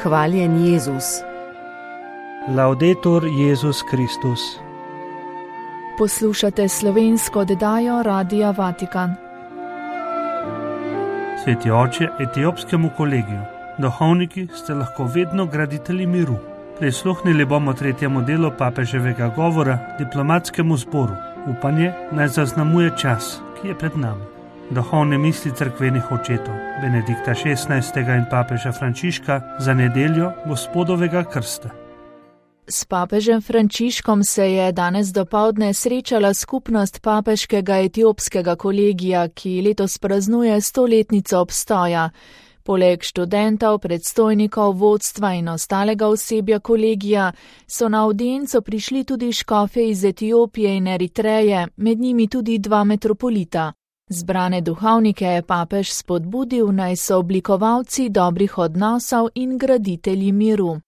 Hvaljen Jezus. Laudetur Jezus Kristus. Poslušate slovensko oddajo Radia Vatikan. Sveti oče etiopskemu kolegiju, duhovniki ste lahko vedno graditelji miru. Prisluhnili bomo tretjemu delu papeževega govora diplomatskemu zboru. Upanje naj zaznamuje čas, ki je pred nami. Duhovne misli cerkvenih očetov Benedikta XVI. In papeža Frančiška za nedeljo Gospodovega krsta. S papežem Frančiškom se je danes dopoldne srečala skupnost papeškega etiopskega kolegija, ki letos praznuje 100-letnico obstoja. Poleg študentov, predstojnikov, vodstva in ostalega osebja kolegija so na avdienco prišli tudi škofje iz Etiopije in Eritreje, med njimi tudi 2 metropolita. Zbrane duhovnike je papež spodbudil, naj so oblikovalci dobrih odnosov in graditelji miru.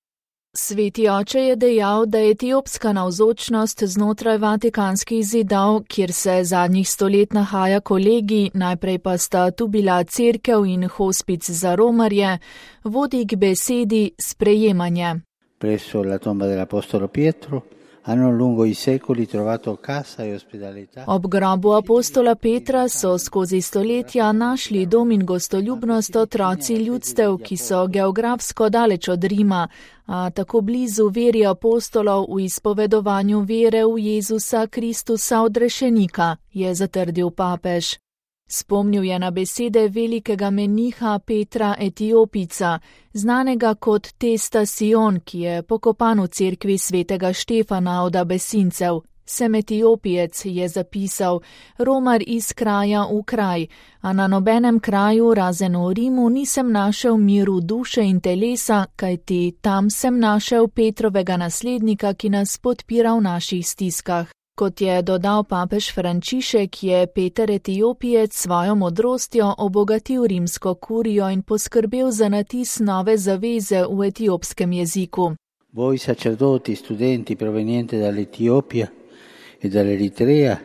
Sveti oče je dejal, da je etiopska navzočnost znotraj vatikanskih zidov, kjer se zadnjih 100 let nahaja kolegij, najprej pa sta tu bila cerkev in hospic za romarje, vodi k besedi sprejemanje. Presso la tomba dell'apostolo Pietro hanno lungo i secoli trovato casa e ospitalità. Ob grobu apostola Petra so skozi stoletja našli dom in gostoljubnost otroci ljudstev, ki so geografsko daleč od Rima, a tako blizu veri apostolov v izpovedovanju vere v Jezusa Kristusa odrešenika, je zatrdil papež. Spomnil je na besede velikega meniha Petra Etiopica, znanega kot Testa Sion, ki je pokopan v cerkvi svetega Štefana od Abesincev. Sem Etiopijec, je zapisal, romar iz kraja v kraj, a na nobenem kraju razen v Rimu nisem našel miru duše in telesa, kajti tam sem našel Petrovega naslednika, ki nas podpira v naših stiskah. Kot je dodal papež Frančišek, je Peter Etiopijec svojo modrostjo obogatil rimsko kurijo in poskrbel za natis nove zaveze v etiopskem jeziku. Voi sacerdoti, studenti provenienti dall'Etiopia e dall'Eritrea,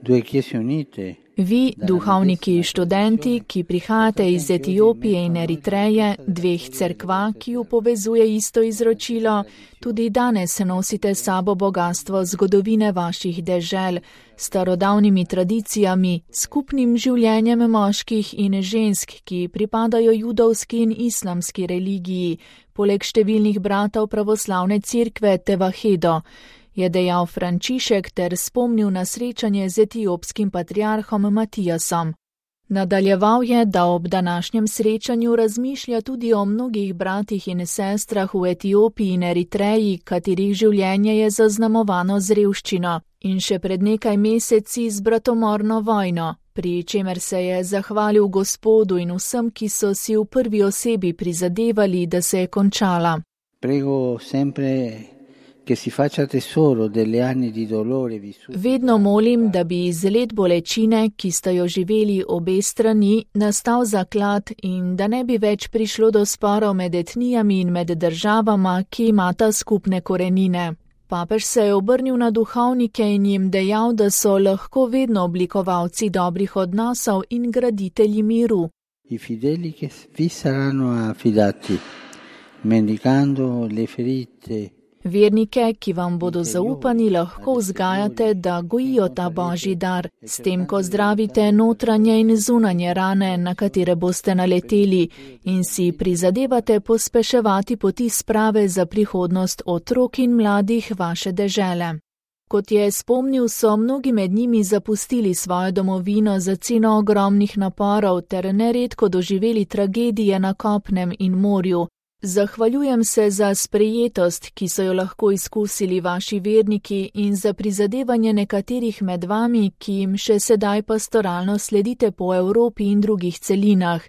2 chiese unite. Vi, duhovniki študenti, ki prihajate iz Etiopije in Eritreje, 2 cerkva, ki ju povezuje isto izročilo, tudi danes nosite sabo bogatstvo zgodovine vaših dežel, starodavnimi tradicijami, skupnim življenjem moških in žensk, ki pripadajo judovski in islamski religiji, poleg številnih bratov pravoslavne cerkve Tevahedo, je dejal Frančišek ter spomnil na srečanje z etiopskim patriarhom Matijasom. Nadaljeval je, da ob današnjem srečanju razmišlja tudi o mnogih bratih in sestrah v Etiopiji in Eritreji, katerih življenje je zaznamovano z revščino in še pred nekaj meseci z bratomorno vojno, pri čemer se je zahvalil Gospodu in vsem, ki so si v prvi osebi prizadevali, da se je končala. Prego sempre che si faccia tesoro delle anni di dolore vissuti. Vedno molim, da bi iz let bolečine, ki sta jo živeli obe strani, nastal zaklad in da ne bi več prišlo do sporov med etnijami in med državama, ki imata skupne korenine. Papež se je obrnil na duhovnike in jim dejal, da so lahko vedno oblikovalci dobrih odnosov in graditelji miru. I fedeli che vi saranno affidati, mendicando le ferite. Vernike, ki vam bodo zaupani, lahko vzgajate, da gojijo ta božji dar, s tem, ko zdravite notranje in zunanje rane, na katere boste naleteli, in si prizadevate pospeševati poti sprave za prihodnost otrok in mladih vaše dežele. Kot je spomnil, so mnogi med njimi zapustili svojo domovino za ceno ogromnih naporov ter neredko doživeli tragedije na kopnem in morju. Zahvaljujem se za sprejetost, ki so jo lahko izkusili vaši verniki in za prizadevanje nekaterih med vami, ki jim še sedaj pastoralno sledite po Evropi in drugih celinah,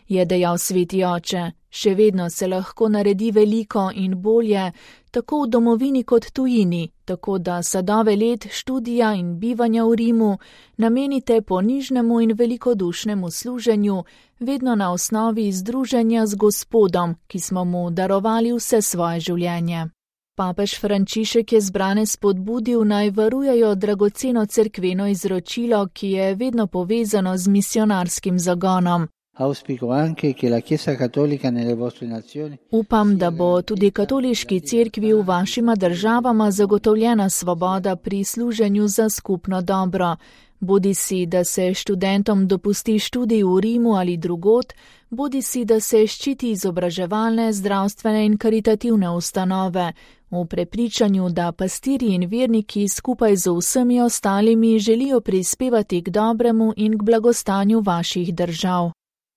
je dejal sveti oče. Še vedno se lahko naredi veliko in bolje, tako v domovini kot tujini, tako da sadove let študija in bivanja v Rimu namenite ponižnemu in velikodušnemu služenju, vedno na osnovi združenja z Gospodom, ki smo mu darovali vse svoje življenje. Papež Frančišek je zbrane spodbudil, naj varujejo dragoceno cerkveno izročilo, ki je vedno povezano z misionarskim zagonom. Upam, da bo tudi katoliški cerkvi v vašima državama zagotovljena svoboda pri služenju za skupno dobro. Bodisi, da se študentom dopusti študij v Rimu ali drugod, bodisi, da se ščiti izobraževalne, zdravstvene in karitativne ustanove, v prepričanju, da pastirji in verniki skupaj z vsemi ostalimi želijo prispevati k dobremu in k blagostanju vaših držav.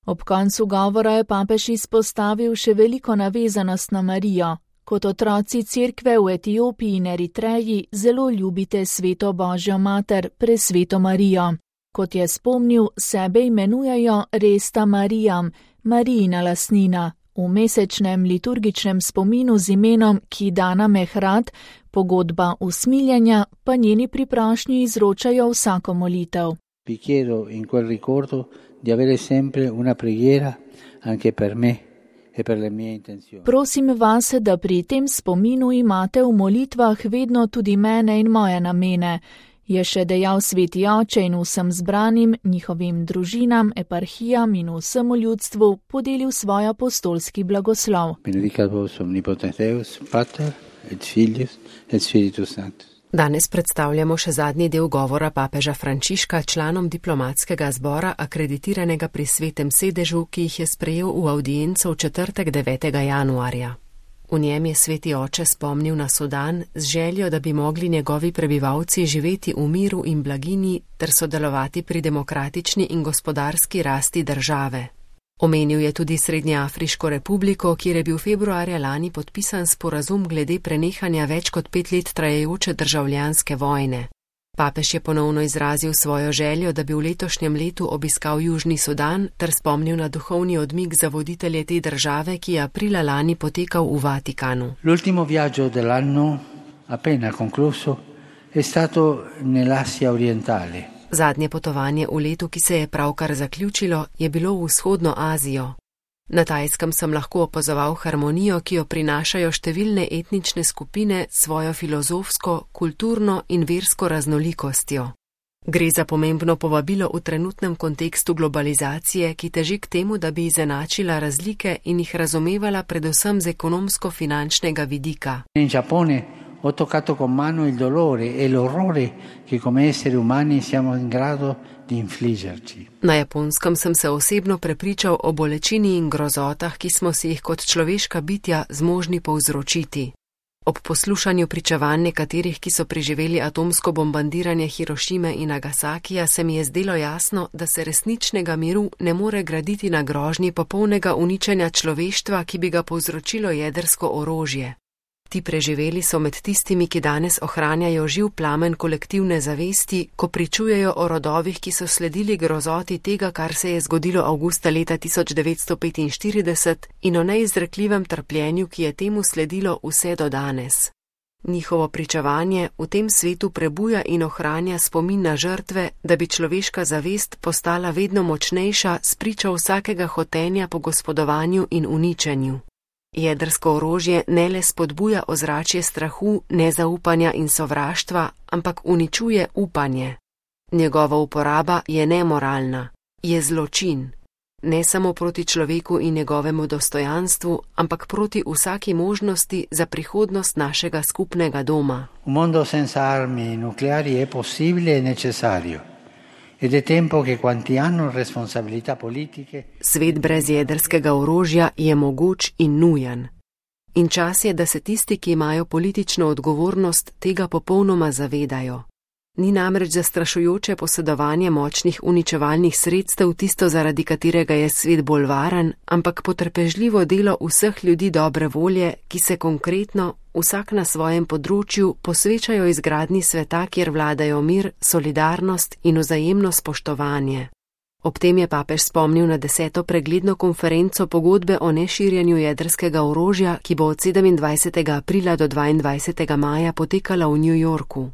Ob koncu govora je papež izpostavil še veliko navezanost na Marijo. Kot otroci cerkve v Etiopiji in Eritreji zelo ljubite sveto Božjo mater, presveto Marijo. Kot je spomnil, sebe imenujejo Resta Marijam, Marijina lastnina, v mesečnem liturgičnem spominu z imenom Kidana Mehrad, pogodba usmiljenja, pa njeni priprošnji izročajo vsako molitev. Vi chiedo in quel ricordo di avere sempre una preghiera anche per me. Prosim vas, da pri tem spominu imate v molitvah vedno tudi mene in moje namene, je še dejal sveti oče in vsem zbranim, njihovim družinam, eparhijam in vsemu ljudstvu podelil svoj apostolski blagoslov. Benedicat vos omnipotens Deus, Pater et Filius et Spiritus Sanctus. Danes predstavljamo še zadnji del govora papeža Frančiška članom diplomatskega zbora akreditiranega pri Svetem sedežu, ki jih je sprejel v avdienco v četrtek 9. januarja. V njem je sveti oče spomnil na Sudan z željo, da bi mogli njegovi prebivalci živeti v miru in blaginji ter sodelovati pri demokratični in gospodarski rasti države. Omenil je tudi Srednjeafriško republiko, kjer je bil februarja lani podpisan sporazum glede prenehanja več kot 5 let trajajoče državljanske vojne. Papež je ponovno izrazil svojo željo, da bi v letošnjem letu obiskal Južni Sudan ter spomnil na duhovni odmik za voditelje te države, ki je aprila lani potekal v Vatikanu. L'ultimo viaggio dell'anno appena concluso è stato nell'Asia orientale. Zadnje potovanje v letu, ki se je pravkar zaključilo, je bilo v vzhodno Azijo. Na Tajskem sem lahko opazoval harmonijo, ki jo prinašajo številne etnične skupine s svojo filozofsko, kulturno in versko raznolikostjo. Gre za pomembno povabilo v trenutnem kontekstu globalizacije, ki teži k temu, da bi izenačila razlike in jih razumevala predvsem z ekonomsko-finančnega vidika. In Giappone ho toccato con mano il dolore e l'orrore che come esseri umani siamo in grado di infliggerci. Na Japonskem sem se osebno prepričal o bolečini in grozotah, ki smo si jih kot človeška bitja zmožni povzročiti. Ob poslušanju pričevanj nekaterih, ki so preživeli atomsko bombardiranje Hirošime in Nagasakija, se mi je zdelo jasno, da se resničnega miru ne more graditi na grožnji popolnega uničenja človeštva, ki bi ga povzročilo jedrsko orožje. Ti preživeli so med tistimi, ki danes ohranjajo živ plamen kolektivne zavesti, ko pričujejo o rodovih, ki so sledili grozoti tega, kar se je zgodilo avgusta leta 1945 in o neizrekljivem trpljenju, ki je temu sledilo vse do danes. Njihovo pričevanje v tem svetu prebuja in ohranja spomin na žrtve, da bi človeška zavest postala vedno močnejša s pričo vsakega hotenja po gospodovanju in uničenju. Jedrsko orožje ne le spodbuja ozračje strahu, nezaupanja in sovraštva, ampak uničuje upanje. Njegova uporaba je nemoralna, je zločin. Ne samo proti človeku in njegovemu dostojanstvu, ampak proti vsaki možnosti za prihodnost našega skupnega doma. Un mondo senza armi nucleari è possibile e necessario. Ed è tempo che quanti hanno responsabilità politiche. Svet brez jedrskega orožja je mogoč in nujen. In čas je, da se tisti, ki imajo politično odgovornost, tega popolnoma zavedajo. Ni namreč zastrašujoče posedovanje močnih uničevalnih sredstev tisto, zaradi katerega je svet bolj varen, ampak potrpežljivo delo vseh ljudi dobre volje, ki se konkretno, vsak na svojem področju, posvečajo izgradnji sveta, kjer vladajo mir, solidarnost in vzajemno spoštovanje. Ob tem je papež spomnil na 10. pregledno konferenco pogodbe o neširjenju jedrskega orožja, ki bo od 27. aprila do 22. maja potekala v New Yorku.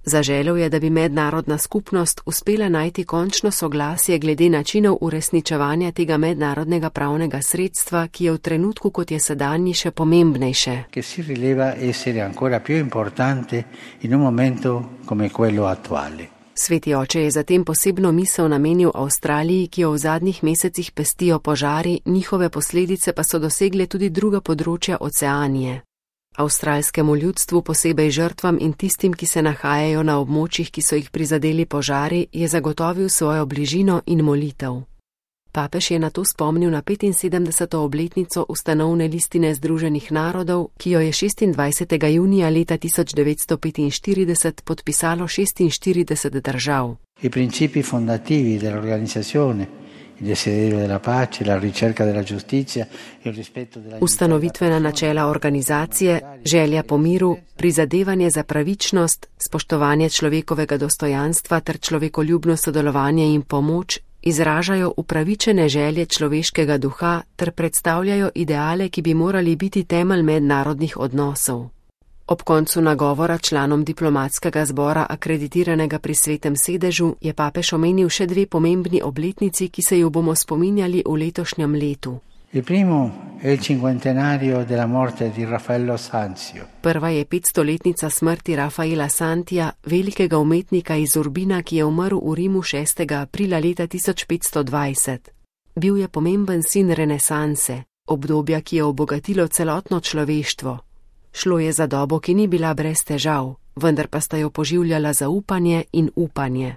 Zaželel je, da bi mednarodna skupnost uspela najti končno soglasje glede načinov uresničevanja tega mednarodnega pravnega sredstva, ki je v trenutku, kot je sedanji, še pomembnejše. Che si rileva essere ancora più importante in un momento come quello attuale. Sveti oče je zatem posebno misel namenil Avstraliji, ki jo v zadnjih mesecih pestijo požari, njihove posledice pa so dosegle tudi druga področja Oceanije. Avstralskemu ljudstvu, posebej žrtvam in tistim, ki se nahajajo na območjih, ki so jih prizadeli požari, je zagotovil svojo bližino in molitev. Papež je nato spomnil na 75. obletnico ustanovne listine Združenih narodov, ki jo je 26. junija leta 1945 podpisalo 46 držav. I principi fondativi dell'organizzazione, il desiderio della pace, la ricerca della giustizia, il rispetto della Ustanovitvena načela organizacije, želja po miru, prizadevanje za pravičnost, spoštovanje človekovega dostojanstva ter človekoljubno sodelovanje in pomoč izražajo upravičene želje človeškega duha ter predstavljajo ideale, ki bi morali biti temelj mednarodnih odnosov. Ob koncu nagovora članom diplomatskega zbora akreditiranega pri Svetem sedežu je papež omenil še dve pomembni obletnici, ki se ju bomo spominjali v letošnjem letu. Il primo è il cinquantenario della morte di Raffaello Sanzio. Prva je 500-letnica smrti Rafaela Santija, velikega umetnika iz Urbina, ki je umrl v Rimu 6. aprila leta 1520. Bil je pomemben sin renesanse, obdobja, ki je obogatilo celotno človeštvo. Šlo je za dobo, ki ni bila brez težav, vendar pa sta jo poživljala zaupanje in upanje.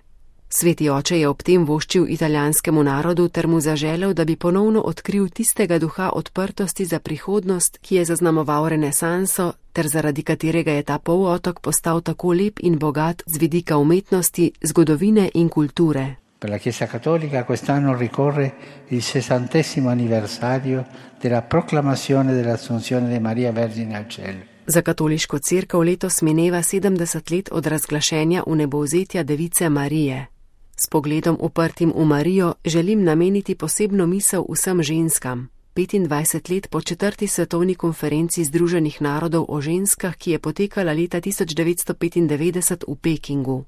Sveti oče je ob tem voščil italijanskemu narodu ter mu zaželel, da bi ponovno odkril tistega duha odprtosti za prihodnost, ki je zaznamoval renesanso, ter zaradi katerega je ta polotok postal tako lep in bogat z vidika umetnosti, zgodovine in kulture. Per la Chiesa Cattolica quest'anno ricorre il 60° anniversario della proclamazione dell'Assunzione di Maria Vergine al cielo. Za katoliško cerkev letos mineva 70 let od razglašenja vnebovzetja device Marije. S pogledom uprtim v Marijo želim nameniti posebno misel vsem ženskam. 25 let po 4. svetovni konferenci Združenih narodov o ženskah, ki je potekala leta 1995 v Pekingu.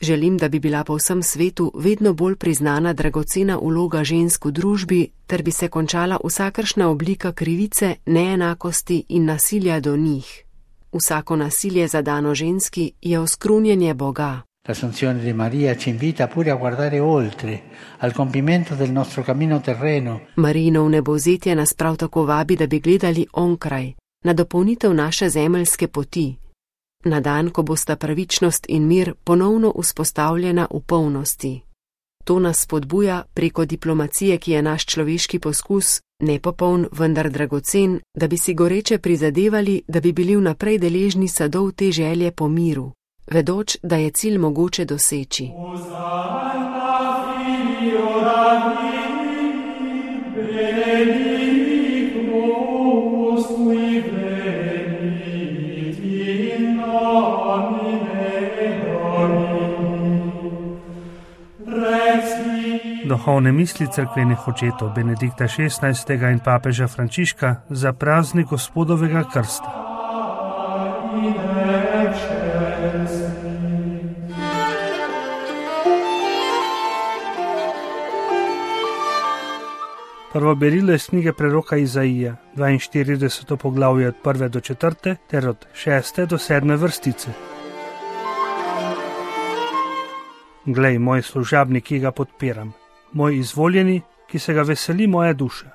Želim, da bi bila po vsem svetu vedno bolj priznana dragocena vloga žensk v družbi, ter bi se končala vsakršna oblika krivice, neenakosti in nasilja do njih. Vsako nasilje zadano ženski je oskrunjenje Boga. L'Assunzione di Maria ci invita pure a guardare oltre, al compimento del nostro cammino terreno. Marijino vnebovzetje nas prav tako vabi, da bi gledali onkraj, na dopolnitev naše zemeljske poti. Na dan, ko bosta pravičnost in mir ponovno vzpostavljena v polnosti. To nas spodbuja preko diplomacije, ki je naš človeški poskus, nepopoln, vendar dragocen, da bi si goreče prizadevali, da bi bili vnaprej deležni sadov te želje po miru, vedoč, da je cilj mogoče doseči. Duhovne misli cerkvenih očetov Benedikta XVI. In papeža Frančiška za praznik Gospodovega krsta. Prvo berilo iz knjige preroka Izaija, 42. poglavje od 1. do 4. ter od 6. do 7. vrstice. Glej, moj služabnik, ki ga podpiram, moj izvoljeni, ki se ga veseli moja duša.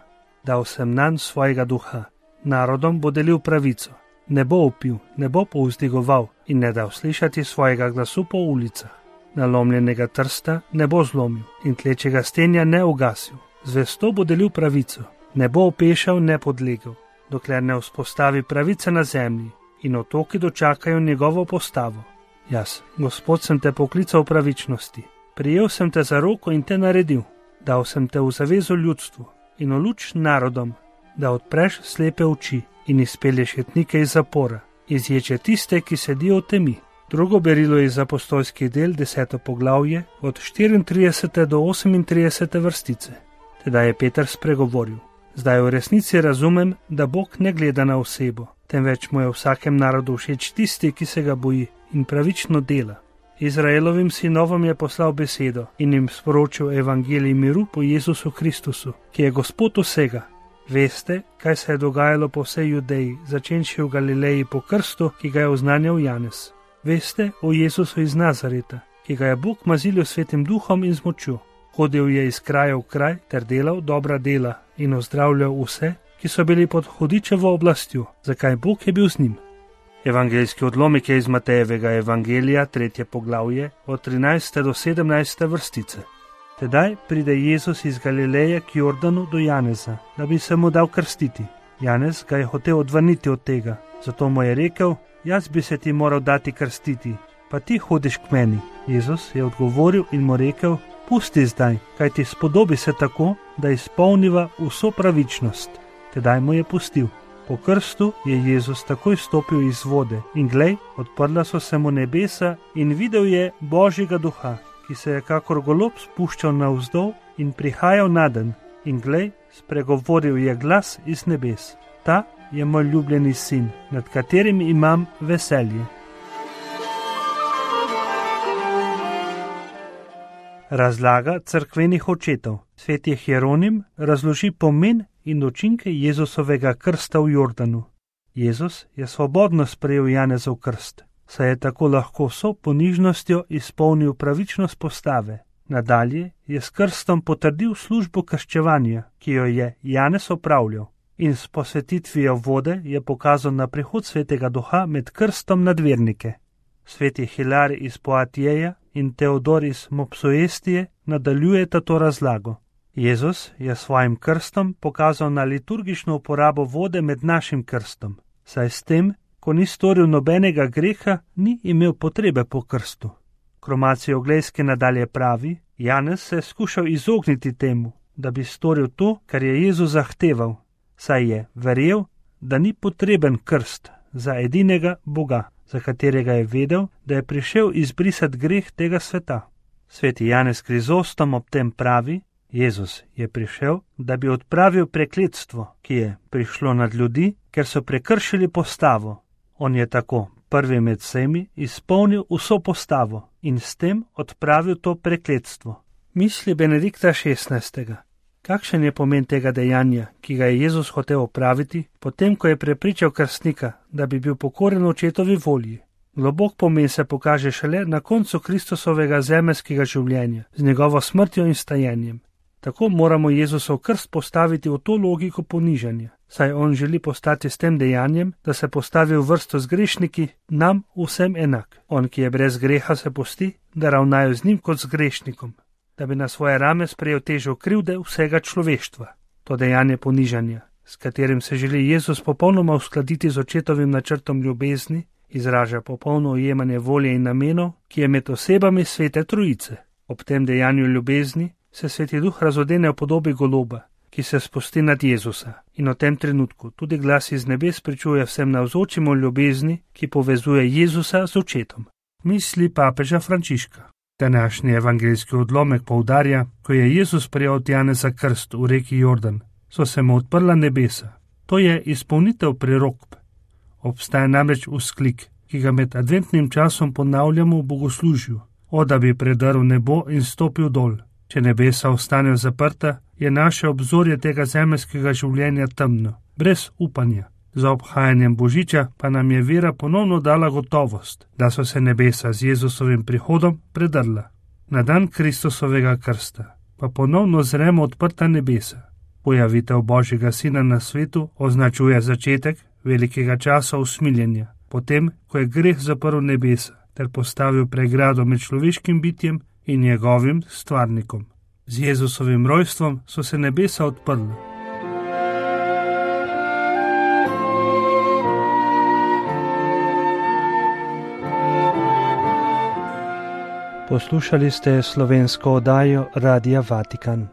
Dal sem nanj svojega duha, narodom bo delil pravico, ne bo vpil, ne bo povzdigoval in ne dal slišati svojega glasu po ulicah. Nalomljenega trsta ne bo zlomil in tlečega stenja ne ugasil. Zvesto bo delil pravico, ne bo opešal, ne podlegel, dokler ne vzpostavi pravice na zemlji in otoki dočakajo njegovo postavo. Jaz, Gospod, sem te poklical v pravičnosti, prijel sem te za roko in te naredil, dal sem te v zavezo ljudstvu in v luč narodom, da odpreš slepe oči in izpelješ jetnike iz zapora, izječe tiste, ki sedijo v temi. Drugo berilo je iz apostolskih del, 10. poglavje, od 34. do 38. vrstice. Tedaj je Peter spregovoril: zdaj v resnici razumem, da Bog ne gleda na osebo, temveč mu je vsakem narodu všeč tisti, ki se ga boji in pravično dela. Izraelovim sinovom je poslal besedo in jim sporočil evangelij miru po Jezusu Kristusu, ki je Gospod vsega. Veste, kaj se je dogajalo po vsej Judeji, začenši v Galileji po krstu, ki ga je oznanjal Janez. Veste o Jezusu iz Nazareta, ki ki ga je Bog mazilil svetim duhom in z močjo. Hodil je iz kraja v kraj ter delal dobra dela in ozdravljal vse, ki so bili pod hudičevo oblastjo, zakaj Bog je bil z njim. Evangeljski odlomek je iz Matejevega evangelija, 3. poglavje, od 13. do 17. vrstice. Tedaj pride Jezus iz Galileje k Jordanu do Janeza, da bi se mu dal krstiti. Janez ga je hotel odvrniti od tega, zato mu je rekel: jaz bi se ti moral dati krstiti, pa ti hodiš k meni. Jezus je odgovoril in mu rekel: pusti zdaj, kaj ti spodobi se tako, da izpolniva vso pravičnost. Tedaj mu je pustil. Po krstu je Jezus takoj stopil iz vode in glej, odprla so se mu nebesa in videl je Božjega duha, ki se je kakor golob spuščal navzdol in prihajal nadenj. In glej, spregovoril je glas iz nebes: ta je moj ljubljeni sin, nad katerim imam veselje. Razlaga cerkvenih očetov. Sveti Hieronim razloži pomen in učinke Jezusovega krsta v Jordanu. Jezus je svobodno sprejel Janezov krst, saj je tako lahko vso ponižnostjo izpolnil pravičnost postave. Nadalje je s krstom potrdil službo krščevanja, ki jo je Janez opravljal, in s posvetitvijo vode je pokazal na prihod svetega duha med krstom nad vernike. Sveti Hilarij iz Poatijeja in Teodor iz Mopsuestije nadaljujeta to razlago. Jezus je svojim krstom pokazal na liturgično uporabo vode med našim krstom, saj s tem, ko ni storil nobenega greha, ni imel potrebe po krstu. Kromacijo Oglejske nadalje pravi: Janez se je skušal izogniti temu, da bi storil to, kar je Jezus zahteval, saj je verjel, da ni potreben krst za edinega Boga, za katerega je vedel, da je prišel izbrisati greh tega sveta. Sveti Janez Krizostom ob tem pravi: Jezus je prišel, da bi odpravil prekletstvo, ki je prišlo nad ljudi, ker so prekršili postavo. On je tako prvi med vsemi izpolnil vso postavo in s tem odpravil to prekletstvo. Misli Benedikta XVI. Kakšen je pomen tega dejanja, ki ga je Jezus hotel opraviti, potem ko je prepričal krstnika, da bi bil pokoren očetovi volji? Globok pomen se pokaže šele na koncu Kristusovega zemeljskega življenja, z njegovo smrtjo in stajenjem. Tako moramo Jezusov krst postaviti v to logiko ponižanja, saj on želi postati s tem dejanjem, da se postavi v vrsto z grešniki, nam vsem enak. On, ki je brez greha, se pusti, da ravnajo z njim kot z grešnikom, da bi na svoje rame sprejel težo krivde vsega človeštva. To dejanje ponižanja, s katerim se želi Jezus popolnoma uskladiti z očetovim načrtom ljubezni, izraža popolno ujemanje volje in namenov, ki je med osebami svete trojice. Ob tem dejanju ljubezni se Sveti Duh razodene v podobi goloba, ki se spusti nad Jezusa, in v tem trenutku tudi glas iz nebes pričuje vsem navzočim o ljubezni, ki povezuje Jezusa z očetom. Misli papeža Frančiška. Današnji evangeljski odlomek poudarja: ko je Jezus prejel od Janeza krst v reki Jordan, so se mu odprla nebesa. To je izpolnitev prerokb. Obstaja namreč vzklik, ki ga med adventnim časom ponavljamo v bogoslužju: o, da bi predrl nebo in stopil dol. Če nebesa ostanejo zaprta, je naše obzorje tega zemeljskega življenja temno, brez upanja. Za obhajanjem Božiča pa nam je vera ponovno dala gotovost, da so se nebesa z Jezusovim prihodom predrla. Na dan Kristusovega krsta pa ponovno zremo odprta nebesa. Pojavitev Božjega Sina na svetu označuje začetek velikega časa usmiljenja, potem, ko je greh zaprl nebesa ter postavil pregrado med človeškim bitjem in njegovim stvarnikom. Z Jezusovim rojstvom so se nebesa odprla. Poslušali ste slovensko oddajo Radia Vatikan.